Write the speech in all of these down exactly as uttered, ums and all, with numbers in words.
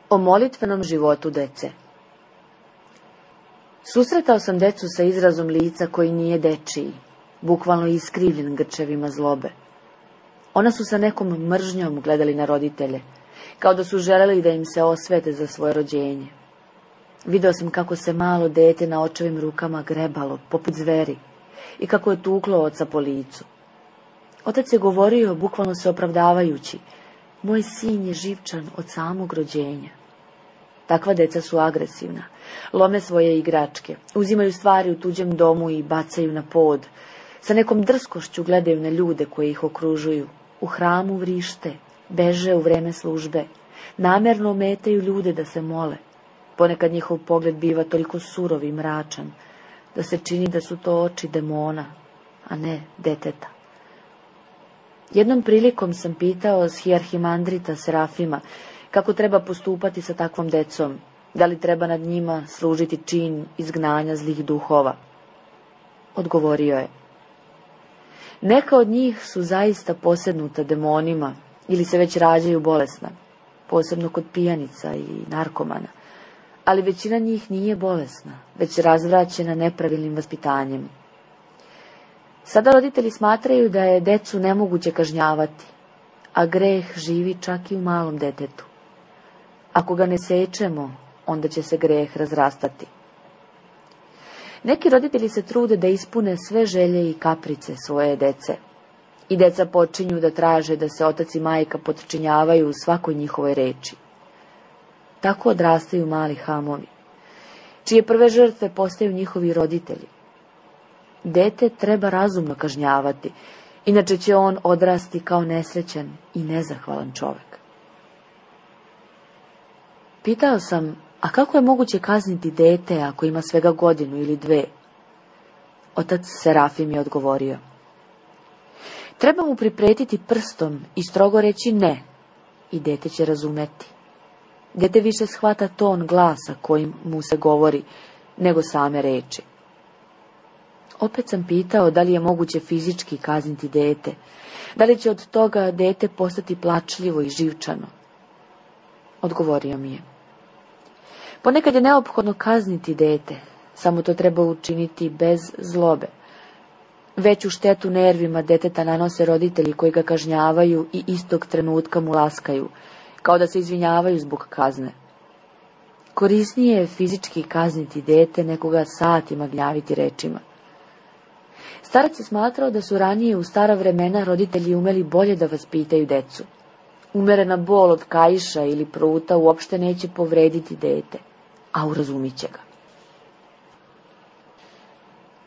O molitvenom životu dece. Susretao sam decu sa izrazom lica koji nije dečiji, bukvalno iskrivljen grčevima zlobe. Ona su sa nekom mržnjom gledali na roditelje, kao da su želeli da im se osvete za svoje rođenje. Video sam kako se malo dete na očevim rukama grebalo, poput zveri, i kako je tuklo oca po licu. Otac je govorio, bukvalno se opravdavajući: moj sin je živčan od samog rođenja. Takva deca su agresivna, lome svoje igračke, uzimaju stvari u tuđem domu i bacaju na pod, sa nekom drskošću gledaju na ljude koji ih okružuju, u hramu vrište, beže u vreme službe, namerno ometaju ljude da se mole. Ponekad njihov pogled biva toliko surov i mračan, da se čini da su to oči demona, a ne deteta. Jednom prilikom sam pitao hijarhimandrita Serafima kako treba postupati sa takvom decom, da li treba nad njima služiti čin izgnanja zlih duhova. Odgovorio je: neka od njih su zaista posednuta demonima ili se već rađaju bolesna, posebno kod pijanica i narkomana, ali većina njih nije bolesna, već razvraćena nepravilnim vaspitanjem. Sada roditelji smatraju da je decu nemoguće kažnjavati, a greh živi čak i u malom detetu. Ako ga ne sečemo, onda će se greh razrastati. Neki roditelji se trude da ispune sve želje i kaprice svoje dece. I deca počinju da traže da se otac i majka potčinjavaju u svakoj njihovoj reči. Tako odrastaju mali hamovi, čije prve žrtve postaju njihovi roditelji. Dete treba razumno kažnjavati, inače će on odrasti kao nesrećan i nezahvalan čovek. Pitao sam, a kako je moguće kazniti dete ako ima svega godinu ili dve? Otac Serafim je odgovorio: treba mu pripretiti prstom i strogo reći ne, i dete će razumeti. Dete više shvata ton glasa kojim mu se govori, nego same reči. Opet sam pitao da li je moguće fizički kazniti dete, da li će od toga dete postati plačljivo i živčano. Odgovorio mi je: ponekad je neophodno kazniti dete, samo to treba učiniti bez zlobe. Veću štetu nervima deteta nanose roditelji koji ga kažnjavaju i istog trenutka mu laskaju, kao da se izvinjavaju zbog kazne. Korisnije je fizički kazniti dete nego ga satima gnjaviti rečima. Starac je smatrao da su ranije u stara vremena roditelji umeli bolje da vaspitaju decu. Umerena bol od kaiša ili pruta uopšte neće povrediti dete, a urazumit će ga.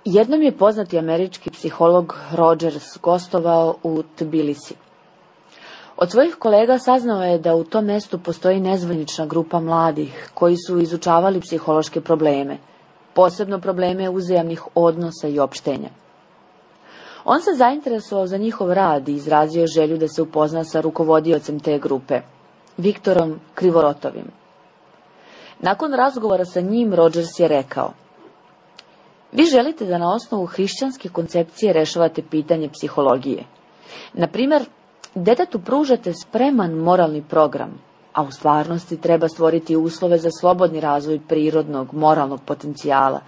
Jednom je poznati američki psiholog Rogers gostovao u Tbilisi. Od svojih kolega saznao je da u tom mestu postoji nezvanična grupa mladih koji su izučavali psihološke probleme, posebno probleme uzajamnih odnosa i opštenja. On se zainteresovao za njihov rad i izrazio želju da se upozna sa rukovodiocem te grupe, Viktorom Krivorotovim. Nakon razgovora sa njim, Rogers je rekao: vi želite da na osnovu hrišćanske koncepcije rešavate pitanje psihologije. Na primjer, detetu pružate spreman moralni program, a u stvarnosti treba stvoriti uslove za slobodni razvoj prirodnog, moralnog potencijala,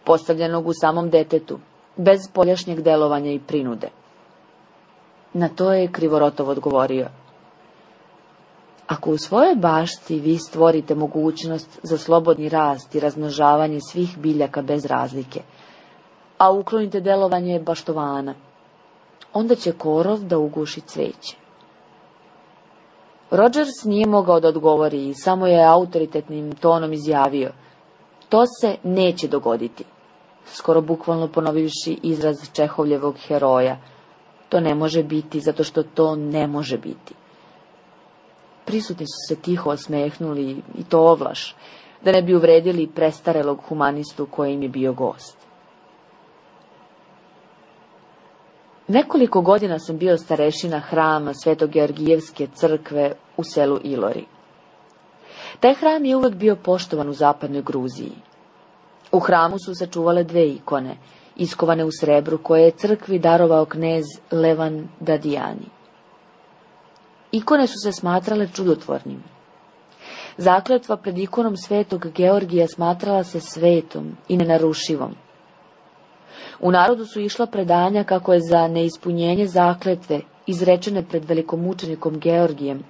postavljenog u samom detetu, bez spoljašnjeg delovanja i prinude. Na to je Krivorotov odgovorio: ako u svojoj bašti vi stvorite mogućnost za slobodni rast i razmnožavanje svih biljaka bez razlike, a uklonite delovanje baštovana, onda će korov da uguši cveće. Rogers nije mogao da odgovori i samo je autoritetnim tonom izjavio: to se neće dogoditi, skoro bukvalno ponovivši izraz Čehovljevog heroja: to ne može biti zato što to ne može biti. Prisutni su se tiho osmehnuli, i to ovlaš, da ne bi uvredili prestarelog humanistu koji im je bio gost. Nekoliko godina sam bio starešina hrama Sveto-Georgijevske crkve u selu Ilori. Taj hram je uvek bio poštovan u zapadnoj Gruziji. U hramu su se čuvale dve ikone, iskovane u srebru, koje je crkvi darovao knez Levan Dadijani. Ikone su se smatrale čudotvornim. Zakletva pred ikonom Svetog Georgija smatrala se svetom i nenarušivom. U narodu su išla predanja kako je za neispunjenje zakletve, izrečene pred velikomučenikom Georgijem,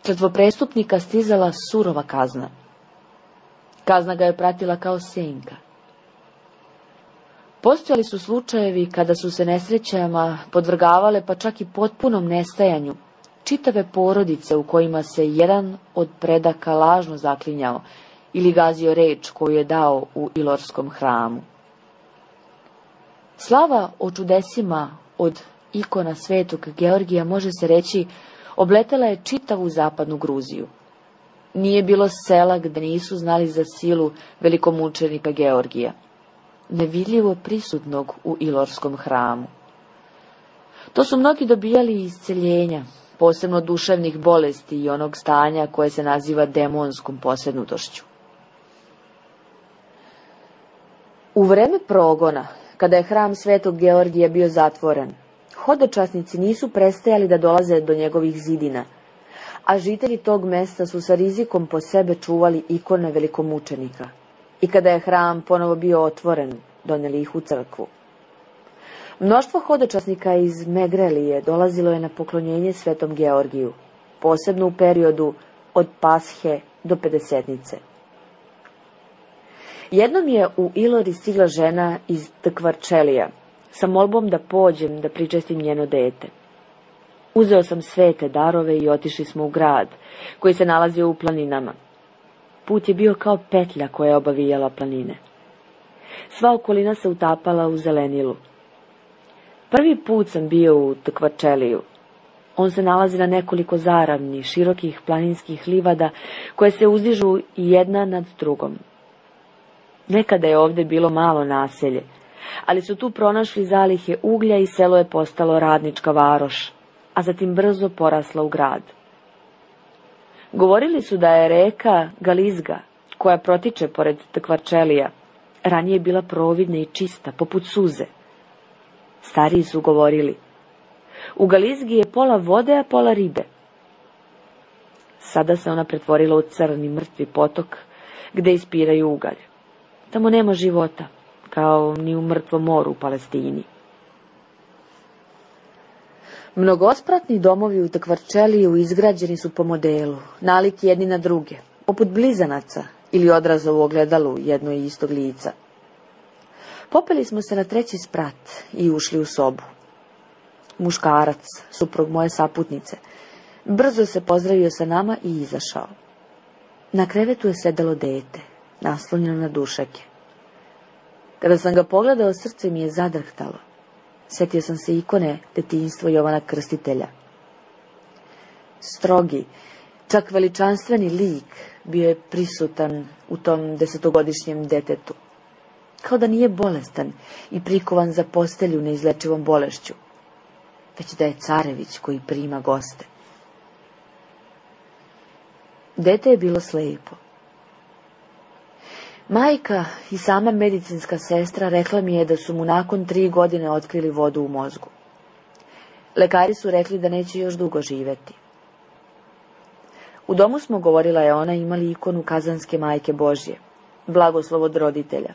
kletvoprestupnika stizala surova kazna. Kazna ga je pratila kao senka. Postojali su slučajevi kada su se nesrećama podvrgavale, pa čak i potpunom nestajanju, čitave porodice u kojima se jedan od predaka lažno zaklinjao ili gazio reč koju je dao u Ilorskom hramu. Slava o čudesima od ikona Svetog Georgija, može se reći, obletela je čitavu zapadnu Gruziju. Nije bilo sela gde nisu znali za silu velikomučenika Georgija, nevidljivo prisutnog u Ilorskom hramu. To su mnogi dobijali isceljenja, posebno duševnih bolesti i onog stanja koje se naziva demonskom posjednutošću. U vreme progona, kada je hram Svetog Georgija bio zatvoren, hodočasnici nisu prestajali da dolaze do njegovih zidina, a žitelji tog mesta su sa rizikom po sebe čuvali ikone velikomučenika. I kada je hram ponovo bio otvoren, doneli ih u crkvu. Mnoštvo hodočasnika iz Megrelije dolazilo je na poklonjenje Svetom Georgiju, posebno u periodu od Pashe do Pedesetnice. Jednom je u Ilori stigla žena iz Tkvarčelija sa molbom da pođem da pričestim njeno dete. Uzeo sam svete darove i otišli smo u grad, koji se nalazio u planinama. Put je bio kao petlja koja je obavijala planine. Sva okolina se utapala u zelenilu. Prvi put sam bio u Tkvarčeliju. On se nalazi na nekoliko zaravni, širokih planinskih livada koje se uzdižu jedna nad drugom. Nekada je ovde bilo malo naselje, ali su tu pronašli zalihe uglja i selo je postalo radnička varoš, a zatim brzo porasla u grad. Govorili su da je reka Galizga, koja protiče pored Tkvarčelija, ranije bila providna i čista, poput suze. Stariji su govorili: u Galizgi je pola vode, a pola ribe. Sada se ona pretvorila u crni mrtvi potok, gde ispiraju ugalj. Tamo nema života, kao ni u mrtvom moru u Palestini. Mnogospratni domovi u Tkvarčeliju izgrađeni su po modelu, nalik jedni na druge, poput blizanaca ili odraza u ogledalu jedno i istog lica. Popeli smo se na treći sprat i ušli u sobu. Muškarac, suprug moje saputnice, brzo se pozdravio sa nama i izašao. Na krevetu je sedelo dete, naslonjeno na dušake. Kada sam ga pogledao, srce mi je zadrhtalo. Sjetio sam se ikone detinjstva Jovana Krstitelja. Strogi, čak veličanstveni lik bio je prisutan u tom desetogodišnjem detetu. Kao da nije bolestan i prikovan za postelju neizlečivom bolešću, već da je carević koji prima goste. Dete je bilo slepo. Majka i sama medicinska sestra rekla mi je da su mu nakon tri godine otkrili vodu u mozgu. Lekari su rekli da neće još dugo živjeti. U domu smo, govorila je ona, imali ikonu Kazanske majke Božje, blagoslov od roditelja.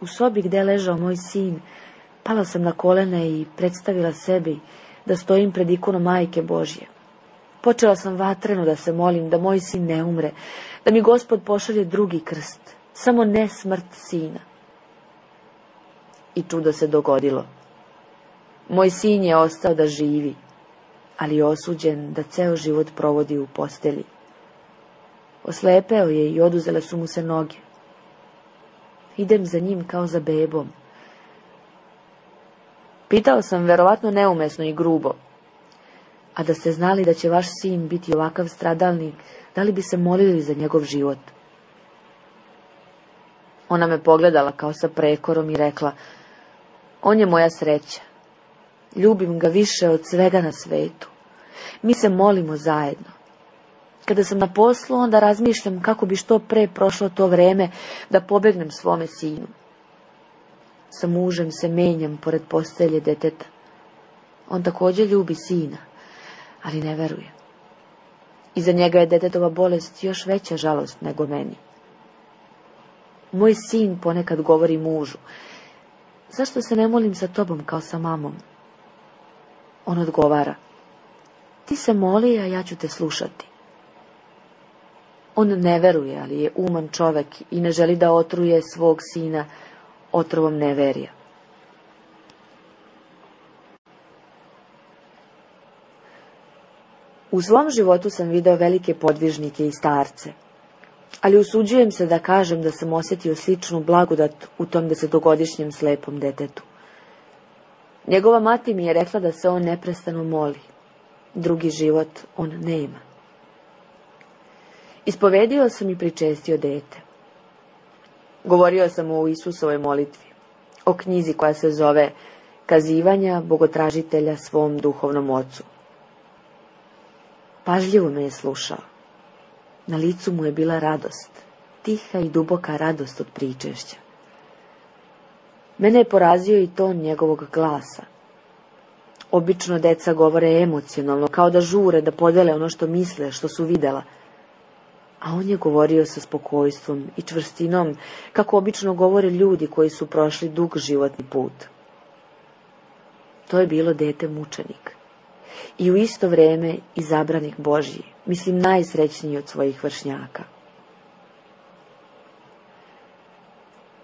U sobi gdje je ležao moj sin, pala sam na kolene i predstavila sebi da stojim pred ikonom majke Božje. Počela sam vatreno da se molim da moj sin ne umre, da mi Gospod pošalje drugi krst, samo ne smrt sina. I čudo se dogodilo. Moj sin je ostao da živi, ali je osuđen da ceo život provodi u postelji. Oslepeo je i oduzele su mu se noge. Idem za njim kao za bebom. Pitao sam, verovatno neumesno i grubo, a da ste znali da će vaš sin biti ovakav stradalnik, da li bi se molili za njegov život? Ona me pogledala kao sa prekorom i rekla, on je moja sreća. Ljubim ga više od svega na svetu. Mi se molimo zajedno. Kada sam na poslu, onda razmišljam kako bi što pre prošlo to vreme da pobegnem svome sinu. Sa mužem se menjam pored postelje deteta. On također ljubi sina, ali ne veruje. Iza njega je detetova bolest još veća žalost nego meni. Moj sin ponekad govori mužu, zašto se ne molim sa tobom kao sa mamom? On odgovara, ti se moli, a ja ću te slušati. On ne veruje, ali je uman čovek i ne želi da otruje svog sina otrovom neverija. U svom životu sam video velike podvižnike i starce, ali usuđujem se da kažem da sam osjetio sličnu blagodat u tom desetogodišnjem slepom detetu. Njegova mati mi je rekla da se on neprestano moli. Drugi život on nema. Ispovedio sam i pričestio dete. Govorio sam o Isusovoj molitvi, o knjizi koja se zove Kazivanja bogotražitelja svom duhovnom ocu. Pažljivo me je slušao. Na licu mu je bila radost, tiha i duboka radost od pričešća. Mene je porazio i ton njegovog glasa. Obično deca govore emocionalno, kao da žure da podele ono što misle, što su videla. A on je govorio sa spokojstvom i čvrstinom, kako obično govore ljudi koji su prošli dug životni put. To je bilo dete mučenik. I u isto vreme izabranik Božji, mislim najsrećniji od svojih vršnjaka.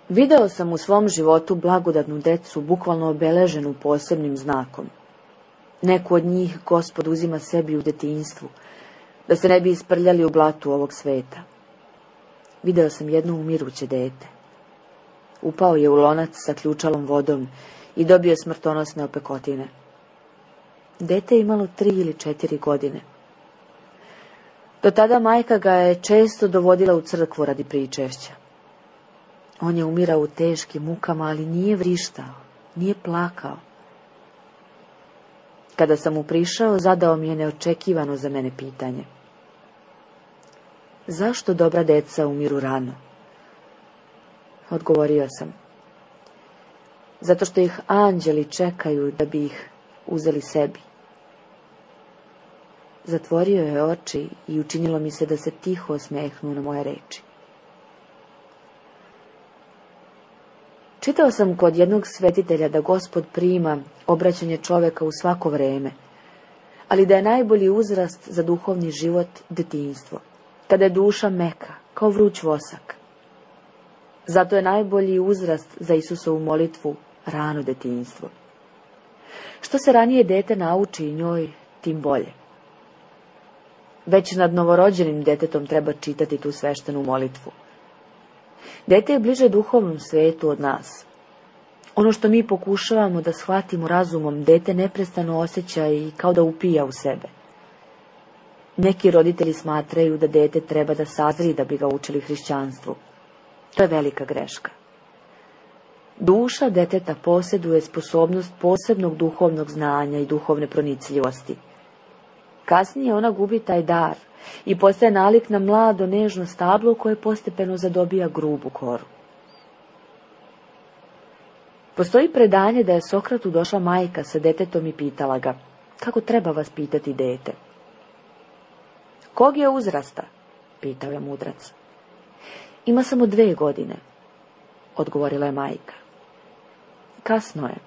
Video sam u svom životu blagodatnu decu, bukvalno obeleženu posebnim znakom. Neku od njih Gospod uzima sebi u detinjstvu, da se ne bi isprljali u blatu ovog sveta. Video sam jedno umiruće dete. Upao je u lonac sa ključalom vodom i dobio smrtonosne opekotine. Dete je imalo tri ili četiri godine. Do tada majka ga je često dovodila u crkvu radi pričešća. On je umirao u teškim mukama, ali nije vrištao, nije plakao. Kada sam mu prišao, zadao mi je neočekivano za mene pitanje. Zašto dobra deca umiru rano? Odgovorio sam. Zato što ih anđeli čekaju da bi ih uzeli sebi. Zatvorio je oči i učinilo mi se da se tiho osmehnu na moje reči. Čitao sam kod jednog svetitelja da Gospod prima obraćanje čoveka u svako vreme, ali da je najbolji uzrast za duhovni život detinjstvo, kada je duša meka, kao vruć vosak. Zato je najbolji uzrast za Isusovu molitvu rano detinjstvo. Što se ranije dete nauči njoj, tim bolje. Već nad novorođenim detetom treba čitati tu sveštenu molitvu. Dete je bliže duhovnom svetu od nas. Ono što mi pokušavamo da shvatimo razumom, dete neprestano osjeća i kao da upija u sebe. Neki roditelji smatraju da dete treba da sazri da bi ga učili hrišćanstvu. To je velika greška. Duša deteta posjeduje sposobnost posebnog duhovnog znanja i duhovne pronicljivosti. Kasnije ona gubi taj dar i postaje nalik na mlado nežno stablo koje postepeno zadobija grubu koru. Postoji predanje da je Sokratu došla majka sa detetom i pitala ga, kako treba vaspitati dete. Kog je uzrasta? Pitao je mudrac. Ima samo dve godine, odgovorila je majka. Kasno je.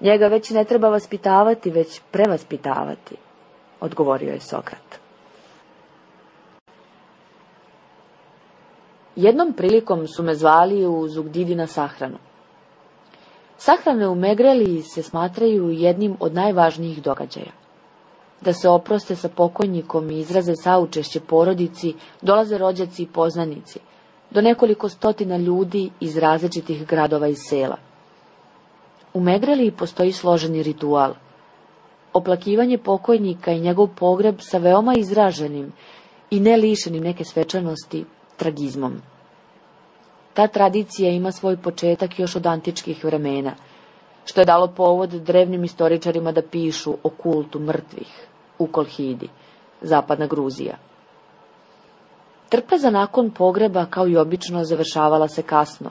Njega već ne treba vaspitavati, već prevaspitavati, odgovorio je Sokrat. Jednom prilikom su me zvali u Zugdidi na sahranu. Sahrane u Megreliji se smatraju jednim od najvažnijih događaja. Da se oproste sa pokojnikom i izraze saučešće porodici, dolaze rođaci i poznanici, do nekoliko stotina ljudi iz različitih gradova i sela. U Megreliji postoji složeni ritual. Oplakivanje pokojnika i njegov pogreb sa veoma izraženim i ne lišenim neke svečanosti tragizmom. Ta tradicija ima svoj početak još od antičkih vremena, što je dalo povod drevnim istoričarima da pišu o kultu mrtvih u Kolhidi, zapadna Gruzija. Trpeza nakon pogreba, kao i obično, završavala se kasno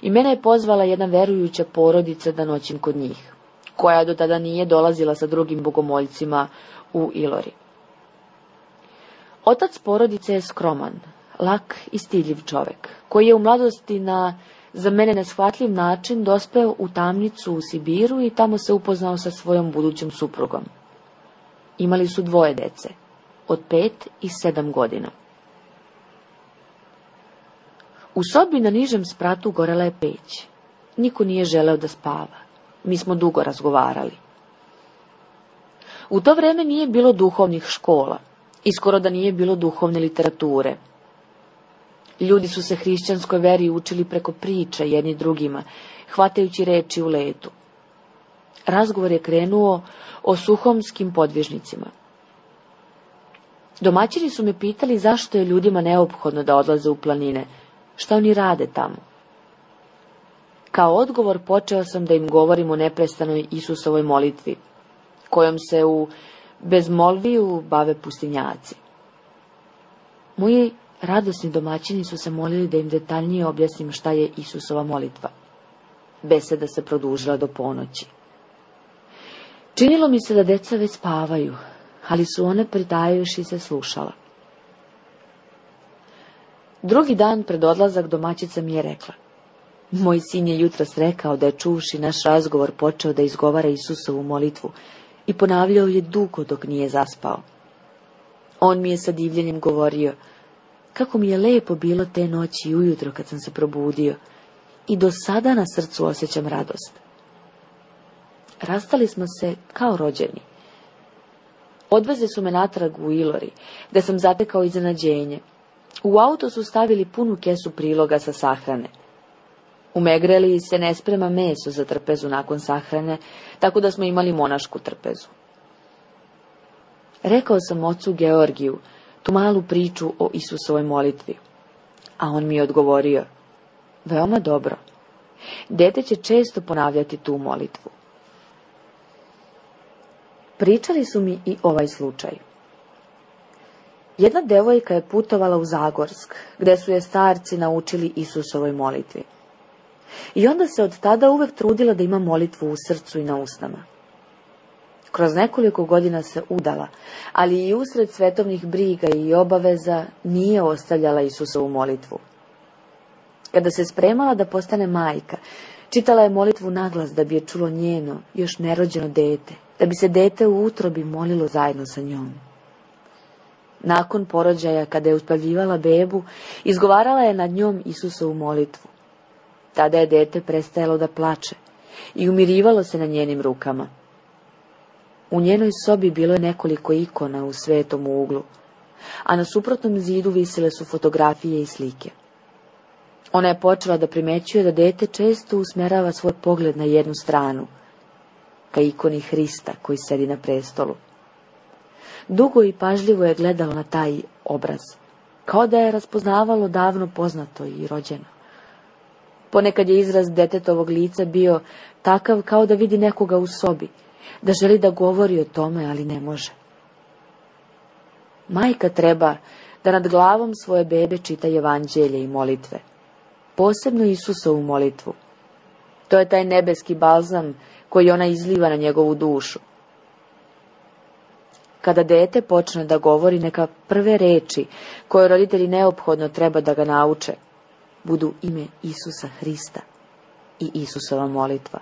i mene je pozvala jedna verujuća porodica da noćim kod njih, koja do tada nije dolazila sa drugim bogomoljcima u Ilori. Otac porodice je skroman, lak i stidljiv čovek, koji je u mladosti na za mene neshvatljiv način dospeo u tamnicu u Sibiru i tamo se upoznao sa svojom budućom suprugom. Imali su dvoje dece, od pet i sedam godina. U sobi na nižem spratu gorela je peć. Niko nije želeo da spava. Mi smo dugo razgovarali. U to vreme nije bilo duhovnih škola i skoro da nije bilo duhovne literature. Ljudi su se hrišćanskoj veri učili preko priča jedni drugima, hvatajući reči u letu. Razgovor je krenuo o suhomskim podvižnicima. Domaćini su me pitali zašto je ljudima neophodno da odlaze u planine, šta oni rade tamo. Kao odgovor počeo sam da im govorim o neprestanoj Isusovoj molitvi, kojom se u bezmolviju bave pustinjaci. Moji radosni domaćini su se molili da im detaljnije objasnim šta je Isusova molitva. Beseda se produžila do ponoći. Činilo mi se da deca već spavaju, ali su one pritajuši se slušala. Drugi dan pred odlazak domaćica mi je rekla, moj sin je jutros rekao da je čuvši naš razgovor počeo da izgovara Isusovu molitvu i ponavljao je dugo dok nije zaspao. On mi je sa divljenjem govorio, kako mi je lepo bilo te noći i ujutro kad sam se probudio i do sada na srcu osjećam radost. Rastali smo se kao rođeni. Odveze su me natrag u Ilori, gde sam zatekao iznenađenje. U auto su stavili punu kesu priloga sa sahrane. U Megreliji se ne sprema meso za trpezu nakon sahrane, tako da smo imali monašku trpezu. Rekao sam ocu Georgiju tu malu priču o Isusovoj molitvi, a on mi je odgovorio, veoma dobro, dete će često ponavljati tu molitvu. Pričali su mi i ovaj slučaj. Jedna devojka je putovala u Zagorsk, gde su je starci naučili Isusovoj molitvi. I onda se od tada uvek trudila da ima molitvu u srcu i na usnama. Kroz nekoliko godina se udala, ali i usred svetovnih briga i obaveza nije ostavljala Isusovu molitvu. Kada se spremala da postane majka, čitala je molitvu naglas da bi je čulo njeno, još nerođeno dete, da bi se dete u utrobi molilo zajedno sa njom. Nakon porođaja, kada je uspavljivala bebu, izgovarala je nad njom Isusovu molitvu. Tada je dete prestajalo da plače i umirivalo se na njenim rukama. U njenoj sobi bilo je nekoliko ikona u svetom uglu, a na suprotnom zidu visile su fotografije i slike. Ona je počela da primećuje da dete često usmerava svoj pogled na jednu stranu, ka ikoni Hrista koji sedi na prestolu. Dugo i pažljivo je gledalo na taj obraz, kao da je raspoznavalo davno poznato i rođeno. Ponekad je izraz detetovog lica bio takav kao da vidi nekoga u sobi, da želi da govori o tome, ali ne može. Majka treba da nad glavom svoje bebe čita evanđelje i molitve, posebno Isusovu molitvu. To je taj nebeski balzam koji ona izliva na njegovu dušu. Kada dete počne da govori, neka prve reči koje roditelji neophodno treba da ga nauče budu ime Isusa Hrista i Isusova molitva.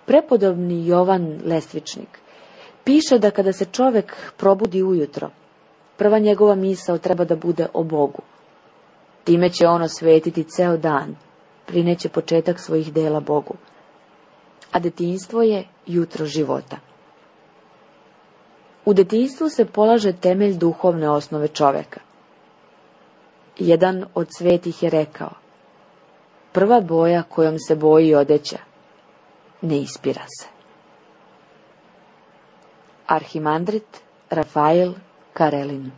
Prepodobni Jovan Lestvičnik piše da kada se čovek probudi ujutro, prva njegova misao treba da bude o Bogu. Time će on osvetiti ceo dan, prineće početak svojih dela Bogu. A detinjstvo je jutro života. U detinjstvu se polaže temelj duhovne osnove čoveka. Jedan od svetih je rekao: prva boja kojom se boji odeća ne ispira se. Arhimandrit Rafael Karelin.